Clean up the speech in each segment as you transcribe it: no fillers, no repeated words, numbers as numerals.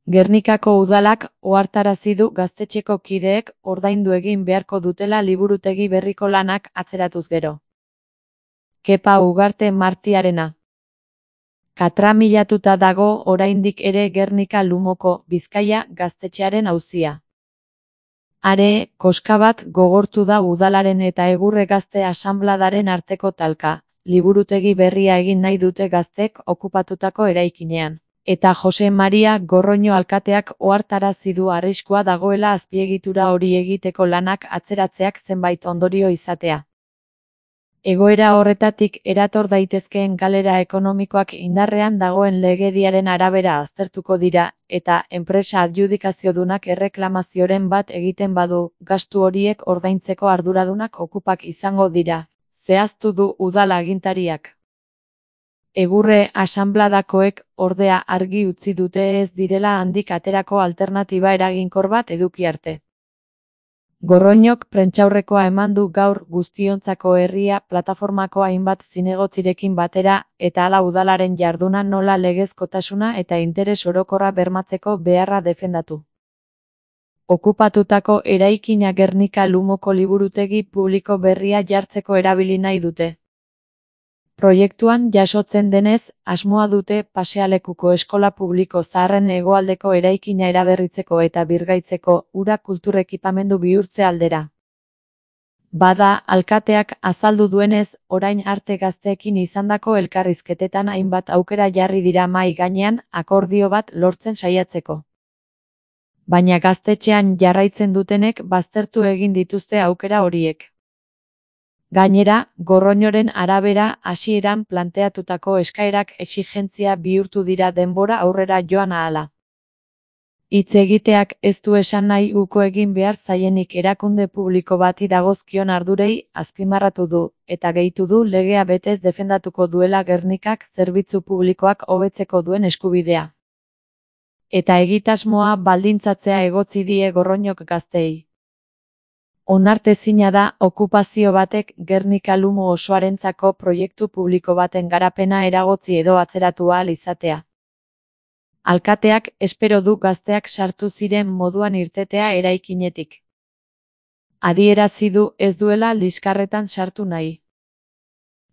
Gernikako udalak ohartarazi du gaztetxeko kideek ordaindu egin beharko dutela liburutegi berriko lanak atzeratuz gero. Kepa Ugarte Martiarena. Katramilatuta dago oraindik ere Gernika Lumoko Bizkaia gaztetxearen auzia. Are, koska bat gogortu da udalaren eta Egurre Gazte Asanbladaren arteko talka, liburutegi berria egin nahi dute gaztek okupatutako eraikinean. Eta Jose Maria Gorroño alkateak ohartarazi du arriskua dagoela azpiegitura hori egiteko lanak atzeratzeak zenbait ondorio izatea. Egoera horretatik erator daitezkeen galera ekonomikoak indarrean dagoen legediaren arabera aztertuko dira, eta enpresa adjudikaziodunak erreklamazioren bat egiten badu, gastu horiek ordaintzeko arduradunak okupak izango dira, zehaztu du udal agintariak. Egurre Asanbladakoek, ordea, argi utzi dute ez direla handik aterako alternatiba eraginkor bat eduki arte. Gorroñok prentsaurrekoa eman du gaur Guztiontzako Herria plataformako hainbat zinegotzirekin batera, eta hala udalaren jarduna nola legezkotasuna eta interes orokorra bermatzeko beharra defendatu. Okupatutako eraikina Gernika Lumoko liburutegi publiko berria jartzeko erabili nahi dute. Proiektuan jasotzen denez, asmoa dute pasealekuko eskola publiko zaharren hegoaldeko eraikina eraberritzeko eta birgaitzeko ura kultur ekipamendu bihurtze aldera. Bada, alkateak azaldu duenez, orain arte gazteekin izandako elkarrizketetan hainbat aukera jarri dira mahai gainean akordio bat lortzen saiatzeko. Baina gaztetxean jarraitzen dutenek baztertu egin dituzte aukera horiek. Gainera, Gorroñoren arabera hasieran planteatutako eskaerak exigentzia bihurtu dira denbora aurrera joan ahala. Hitz egiteak ez du esan nahi uko egin behar zaienik erakunde publiko bati dagozkion ardurei azpimarratu du, eta gehitu du legea betez defendatuko duela Gernikak zerbitzu publikoak hobetzeko duen eskubidea. Eta egitasmoa baldintzatzea egotzi die Gorroñok gazteei. Onartezina da okupazio batek Gernika Lumo osoarentzako proiektu publiko baten garapena eragotzi edo atzeratu ahal izatea. Alkateak espero du gazteak sartu ziren moduan irtetea eraikinetik. Adierazi du ez duela liskarretan sartu nahi.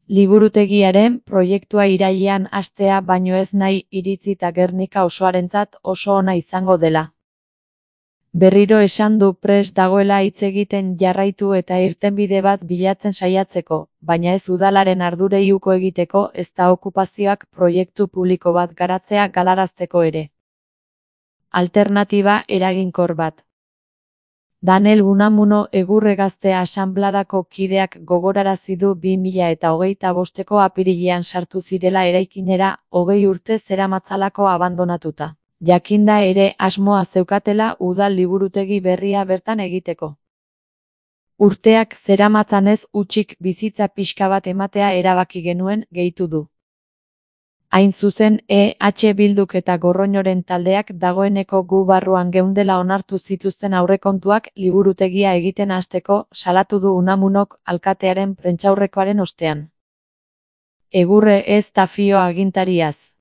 Liburutegiaren proiektua irailean hastea baino ez nahi iritzita Gernika osoarentzat oso ona izango dela. Berriro esan du prest dagoela hitz egiten jarraitu eta irtenbide bat bilatzen saiatzeko, baina ez udalaren ardurei uko egiteko ezta okupazioak proiektu publiko bat garatzea galarazteko ere. Alternatiba eraginkor bat. Daniel Unamuno Egurre Gazte Asanbladako kideak gogorarazi du 2025ko apirilean sartu zirela eraikinera 20 urte zeramatzalako abandonatuta. Jakinda ere asmoa zeukatela udal liburutegi berria bertan egiteko. Urteak zeramatzanez hutsik bizitza pixka bat ematea erabaki genuen, gehitu du. Hain zuzen, EH Bilduk eta Gorroñoren taldeak dagoeneko gu barruan geundela onartu zituzten aurrekontuak liburutegia egiten hasteko salatu du Unamunok alkatearen prentsaurrekoaren ostean. Egurre ez da fio agintariaz.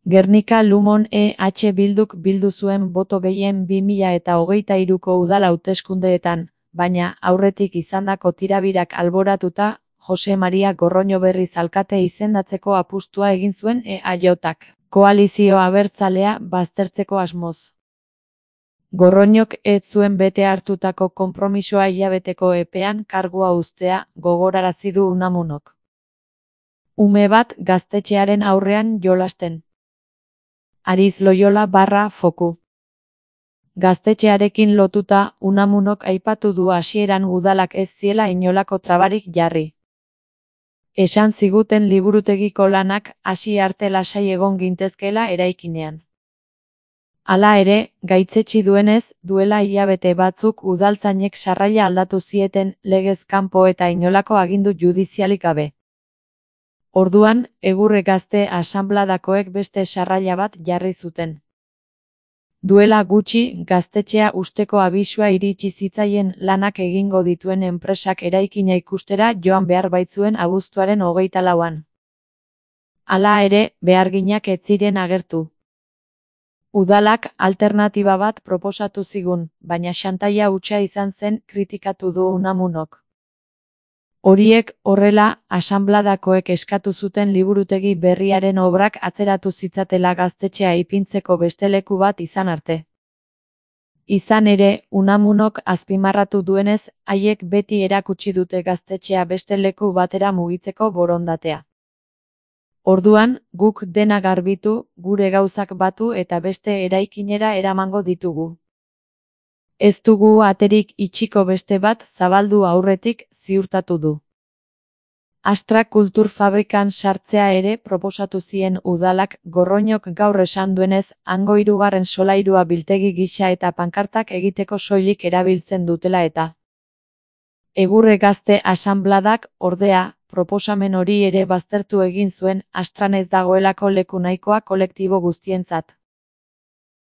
Gernika Lumon EH Bilduk bildu zuen boto gehien 2023ko udal hauteskundeetan, baina aurretik izandako tirabirak alboratuta, Jose Maria Gorroño berriz alkate izendatzeko apustua egin zuen EAJak, koalizio abertzalea baztertzeko asmoz. Gorroñok ez zuen bete hartutako konpromisoa hilabeteko epean kargua uztea, gogorarazi du Unamunok. Ume bat gaztetxearen aurrean jolasten. Ariz Loyola /Foku. Gaztetxearekin lotuta, Unamunok aipatu du hasieran udalak ez ziela inolako trabarik jarri. Esan ziguten liburutegiko lanak hasi arte lasai egon gintezkeela eraikinean. Hala ere, gaitzetsi duenez, duela hilabete batzuk udaltzainek sarraila aldatu zieten legez kanpo eta inolako agindu judizialik gabe. Orduan, Egurre Gazte Asanbladakoek beste sarraila bat jarri zuten. Duela gutxi, gaztetxea usteko abisua iritsi zitzaien lanak egingo dituen enpresak eraikina ikustera joan behar baitzuen abuztuaren 24an. Hala ere, beharginak ez ziren agertu. Udalak alternatiba bat proposatu zigun, baina xantaia hutsa izan zen kritikatu du Unamunok. Horiek horrela, asanbladakoek eskatu zuten liburutegi berriaren obrak atzeratu zitzatela gaztetxea ipintzeko beste leku bat izan arte. Izan ere, Unamunok azpimarratu duenez, haiek beti erakutsi dute gaztetxea beste leku batera mugitzeko borondatea. Orduan, guk dena garbitu, gure gauzak batu eta beste eraikinera eramango ditugu. Ez dugu aterik itxiko beste bat zabaldu aurretik, ziurtatu du. Astra Kultur Fabrikan sartzea ere proposatu zien udalak Gorroñok gaur esan duenez, hango 3. solairua biltegi gisa eta pankartak egiteko soilik erabiltzen dutela eta. Egurre Gazte Asanbladak, ordea, proposamen hori ere baztertu egin zuen, Astran ez dagoelako leku nahikoa kolektibo guztientzat.